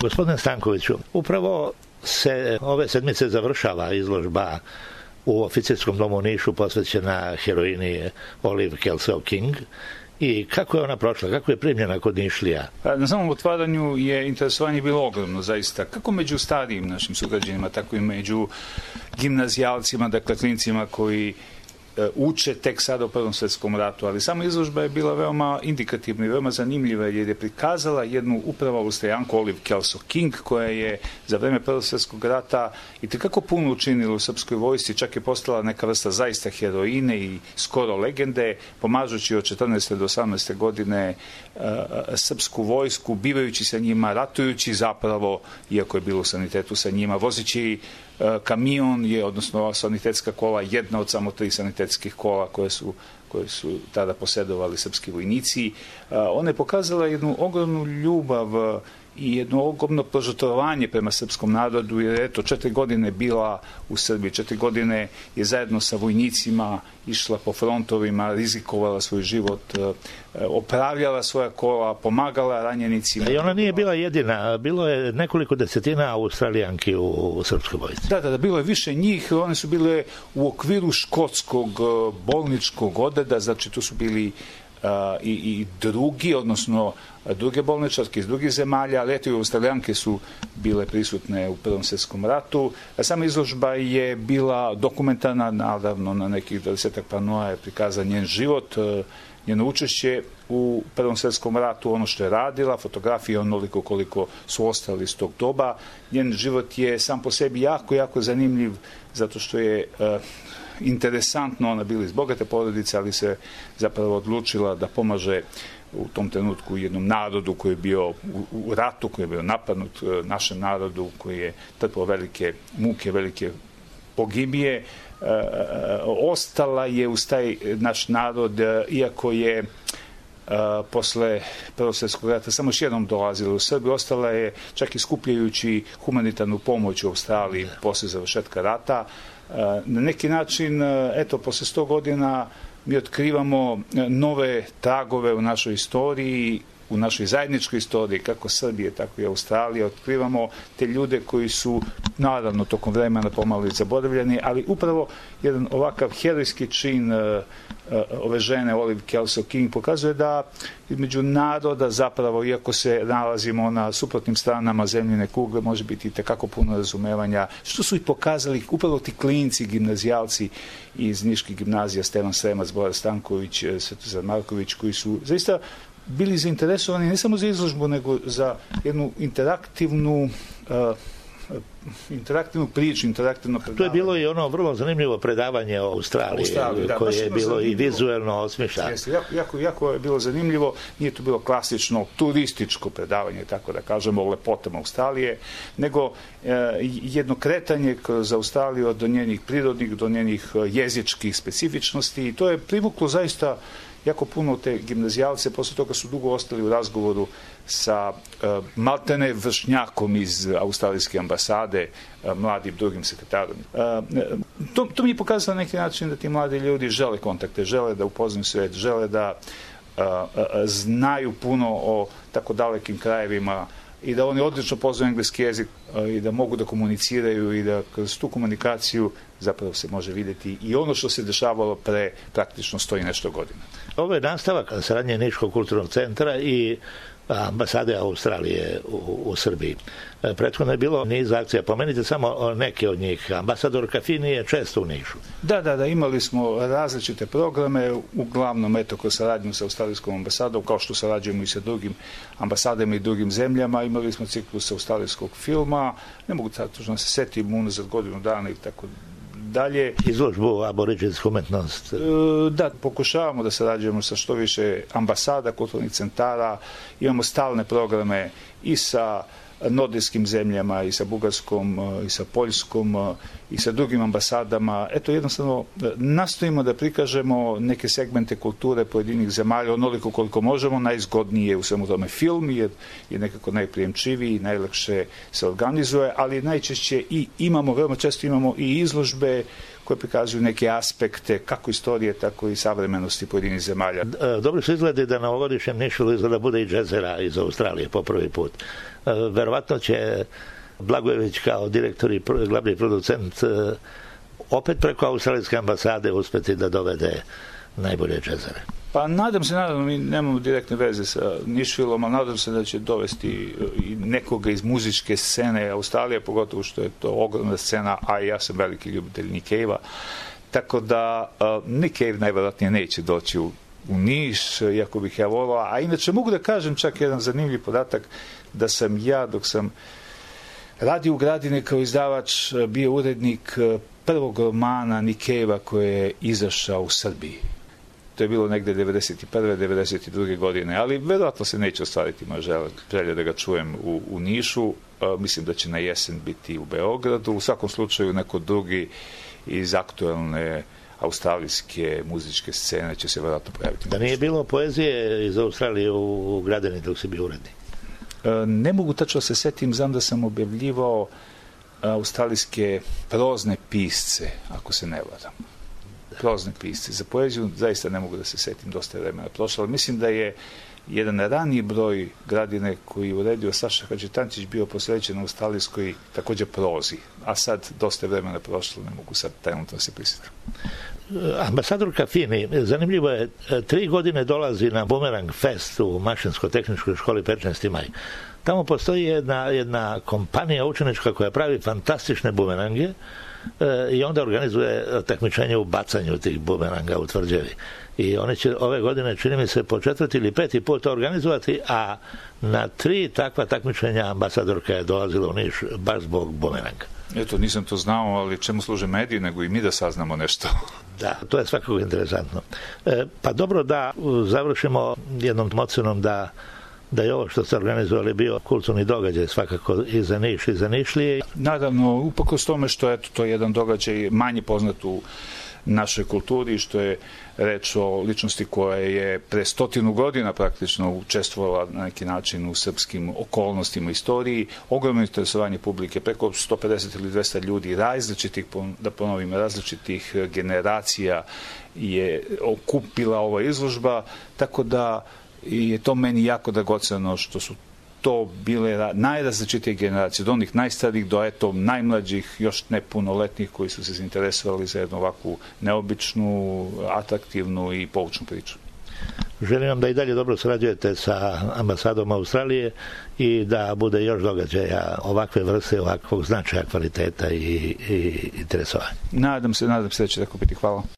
Gospodine Stankoviću, upravo se ove sedmice završava izložba u Oficirskom domu u Nišu posvećena heroini Olive Kelso King. I kako je ona prošla? Kako je primljena kod Nišlija? Na samom otvaranju je interesovanje bilo ogromno, zaista. Kako među starijim našim sugrađanima, tako i među gimnazijalcima, dakle klincima koji uče tek sada u Prvom svjetskom ratu, ali sama izložba je bila veoma indikativna i veoma zanimljiva jer je prikazala jednu upravo Austrijanku Olive Kelso King koja je za vreme Prvog svjetskog rata i tekako puno učinila u srpskoj vojsci, čak je postala neka vrsta zaista heroine i skoro legende, pomažući od 14. do 18. godine srpsku vojsku, bivajući sa njima, ratujući zapravo, iako je bilo u sanitetu sa njima, vozeći kamion je, odnosno sanitetska kola, jedna od samo 3 sanitetskih kola koje su tada posedovali srpski vojnici. Ona je pokazala jednu ogromnu ljubav i jedno ogromno požrtvovanje prema srpskom narodu, jer eto 4 godine bila u Srbiji, 4 godine je zajedno sa vojnicima išla po frontovima, rizikovala svoj život, opravljala svoja kola, pomagala ranjenicima. I ona nije bila jedina, bilo je nekoliko desetina Australijanki u srpskoj vojsci. Da, bilo je više njih, one su bile u okviru škotskog bolničkog odreda, znači tu su bili i drugi, odnosno druge bolničarke iz drugih zemalja, ali eto i Australijanke su bile prisutne u Prvom svjetskom ratu. Sama izložba je bila dokumentarna, naravno na nekih 20 panoa je prikazan njen život, njeno učešće u Prvom svjetskom ratu, ono što je radila, fotografije onoliko koliko su ostali iz tog doba. Njen život je sam po sebi jako zanimljiv, zato što je interesantno, ona bila iz bogate porodice, ali se zapravo odlučila da pomaže u tom trenutku jednom narodu koji je bio u ratu, koji je bio napadnut, našem narodu koji je trpio velike muke, velike pogibije. Ostala je uz taj naš narod, iako je posle Prvog svjetskog rata samo još jednom dolazila u Srbiju, ostala je čak i skupljajući humanitarnu pomoć u Australiji posle završetka rata. Na neki način, eto, posle 100 godina mi otkrivamo nove tragove u našoj istoriji, u našoj zajedničkoj istoriji, kako Srbije, tako i Australije. Otkrivamo te ljude koji su, naravno, tokom vremena pomalo zaboravljeni, ali upravo jedan ovakav herojski čin ove žene, Olive Kelso King, pokazuje da između naroda zapravo, iako se nalazimo na suprotnim stranama zemljine kugle, može biti tekako puno razumevanja, što su i pokazali upravo ti klinci, gimnazijalci iz niških gimnazija, Stevan Sremac, Bora Stanković, Svetozar Marković, koji su zaista bili zainteresovani ne samo za izložbu, nego za jednu interaktivnu priču, interaktivno predavanje. To je bilo i ono vrlo zanimljivo predavanje o Australiji, koje je bilo i vizuelno osmišljeno. Jako je bilo zanimljivo, nije to bilo klasično turističko predavanje, tako da kažemo, o lepotama Australije, nego jedno kretanje kroz Australiju do njenih prirodnih, do njenih jezičkih specifičnosti, i to je privuklo zaista jako puno te gimnazijalce. Posle toga su dugo ostali u razgovoru sa maltene vršnjakom iz australijske ambasade, mladim drugim sekretarom. To mi je pokazalo na neki način da ti mladi ljudi žele kontakte, žele da upoznaju svet, žele da znaju puno o tako dalekim krajevima i da oni odlično poznaju engleski jezik i da mogu da komuniciraju i da kroz tu komunikaciju zapravo se može vidjeti i ono što se dešavalo pre praktično 100 i nešto godina. Ovo je nastavak saradnje Niškog kulturnog centra i ambasade Australije u Srbiji. Prethodno je bilo niz akcija, pomenite samo neke od njih. Ambasador Kafini je često u Nišu. Da, imali smo različite programe, uglavnom kroz saradnju sa australijskom ambasadom, kao što sarađujemo i sa drugim ambasadama i drugim zemljama. Imali smo ciklus australijskog filma, ne mogu tačno se setim, unazad godinu dana i tako dalje. Izložbu aboriđinsku umetnost. Da, pokušavamo da sarađujemo sa što više ambasada, kulturnih centara, imamo stalne programe i sa nordijskim zemljama, i sa Bugarskom, i sa Poljskom, i sa drugim ambasadama. Eto, jednostavno, nastojimo da prikažemo neke segmente kulture pojedinih zemalja, onoliko koliko možemo. Najzgodnije u svemu tome film, jer je nekako najprijemčiviji, najlakše se organizuje, ali najčešće veoma često imamo i izložbe koje prikazuju neke aspekte kako istorije, tako i savremenosti pojedinih zemalja. Dobro se izgledi da na ovogodišnjem Nišu izgleda bude i džezera iz Australije po prvi put. Verovatno će Blagojević kao direktor i glavni producent opet preko australijske ambasade uspeti da dovede najbolje džezere. Pa nadam se, mi nemamo direktne veze sa Nišvilom, ali nadam se da će dovesti i nekoga iz muzičke scene Australije, pogotovo što je to ogromna scena, a ja sam veliki ljubitelj Nick Cave-a. Tako da Nick Cave najvjerojatnije neće doći u Niš, iako bih ja volao. A inače mogu da kažem čak jedan zanimljiv podatak, da sam ja, dok sam radio u Gradini kao izdavač, bio urednik prvog romana Nick Cave-a koji je izašao u Srbiji. To je bilo negde 91. 92. godine, ali verovatno se neće ostvariti moja želja da ga čujem u Nišu. Mislim da će na jesen biti u Beogradu. U svakom slučaju neko drugi iz aktuelne australijske muzičke scene će se verovatno pojaviti. Da nije bilo poezije iz Australije u Gradini dok si bio urednik? Ne mogu tačno se setim, znam da sam objavljivao australijske prozne pisce, ako se ne varam. Prozne pisce. Za poeziju zaista ne mogu da se setim, dosta je vremena prošlo, ali mislim da je jedan raniji broj Gradine koji je uredio Saša Hadžitančić bio posvećen australijskoj također prozi, a sad dosta je vremena prošlo, ne mogu sad trenutno se prisjetiti. Ambasadorka Fini, zanimljivo je, 3 godine dolazi na Bumerang Fest u Mašinsko-tehničkoj školi 15. maj. Tamo postoji jedna kompanija učenička koja pravi fantastične bumerange i onda organizuje takmičenje u bacanju tih bumeranga u tvrđavi. I oni će ove godine, čini mi se, po 4. ili 5. put to organizovati, a na 3 takva takmičenja ambasadorka je dolazila u Niš baš zbog bumeranga. Eto, nisam to znao, ali čemu služe mediji, nego i mi da saznamo nešto. Da, to je svakako interesantno. Pa dobro, da završimo jednom ocenom da je ovo što ste organizovali bio kulturni događaj svakako i za Niš i za Nišlije. Naravno, uprkos tome što je to jedan događaj manje poznat u našoj kulturi, što je reč o ličnosti koja je pre 100 godina praktično učestvovala na neki način u srpskim okolnostima istoriji, ogromno interesovanje publike, preko 150 ili 200 ljudi različitih, da ponovim, različitih generacija je okupila ova izložba, tako da je to meni jako dragoceno što su to bile najrazličitije generacije, od onih najstarijih do najmlađih, još nepunoletnih koji su se zainteresovali za jednu ovakvu neobičnu, atraktivnu i poučnu priču. Želim vam da i dalje dobro sarađujete sa ambasadom Australije i da bude još događaja ovakve vrste, ovakvog značaja, kvaliteta i interesovanja. Nadam se da će tako biti. Hvala.